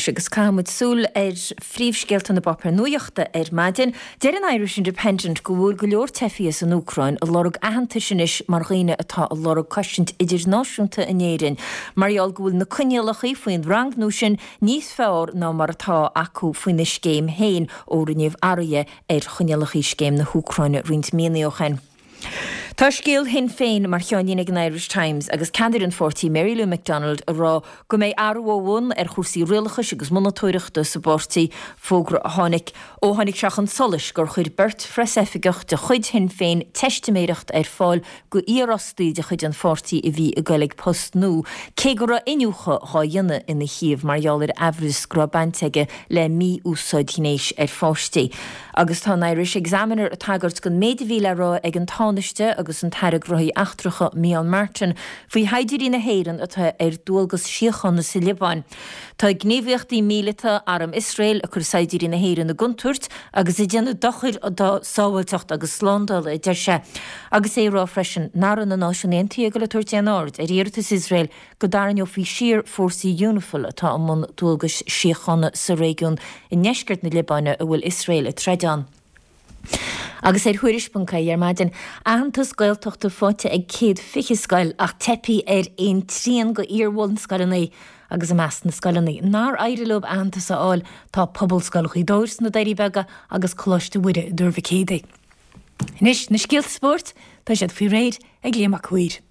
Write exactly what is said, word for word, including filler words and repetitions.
anois agus caithfimid súil ar phríomhscéalta na bpáipéar nuachta ar maidin. Deir an Irish Independent go bhfuil go leor teifigh as an Úcráin ag lorg aitheantais anois mar dhaoine atá ag lorg cosaint idirnáisiúnta in Éirinn. Mar gheall go bhfuil na coinníollacha faoin rangú sin níos fearr ná mar atá acu faoina scéim féin ó rinneadh athruithe ar choinníollacha scéim na hÚcráine roinnt míonna ó shin. Tá scéal Shinn Féin mar cheannlíne ag an Irish Times agus ceannaire an pháirtí Mary Lou McDonald ag rá go mbeidh athrú ó bhun ar chúrsaí rialachais agus monatóireachta sa bpáirtí fógra a tháinig ó tháinig sé chun solais gur chuir beirt phreasoifigeach de chuid Shinn Féin teistiméireacht ar fáil go iarfhostaí de chuid an pháirtí a bhí ag goil ag post nua cé go raibh iniúchadh á dhéanamh ina thaobh mar gheall ar amhras go raibh baint aige le mí-úsáid ghnéis ar pháistí. Agus tá an Irish Examiner ag tagairt don méid a bhí le rá ag an Tánaiste agus an tAire Gnóthaí Eachtracha Micheál Martin faoi shaighdiúirí na hÉireann atá ar dualgas síochána sa Liobáin. Tá gníomhaíochtaí míleata arm Iosrael ag cur saighdiúirí na hÉireann i gcontúirt agus ag déanamh dochair dá sábháilteacht agus slándáil a deir sé. Agus é ag rá freisin nach raibh na Náisiúin Aontaithe ag tabhairt aon aird ar iarratas Iosrael go dtarraingeofaí siar fórsaí Unifil atá i mbun dualgas síochána sa réigiún i ndeisceart na Liobáine a bhfuil Iosrael ag troid ann. Agus ar Thuairisc ponc ie ar maidin aitheantas Gaeltachta faighte ag céad fiche scoil ach teipthe ar aon trian de iar-bhunscoileanna agus i measc na scoileanna. Nár éirigh leo aitheantas a fháil tá Pobalscoil Ghaoth Dobhair sna Doirí Beaga agus Coláiste Mhuire i dTuar Mhic Éadaigh. Anois na scéalta spóirt tá siad faoi réir ag Liam Mac Uidhir.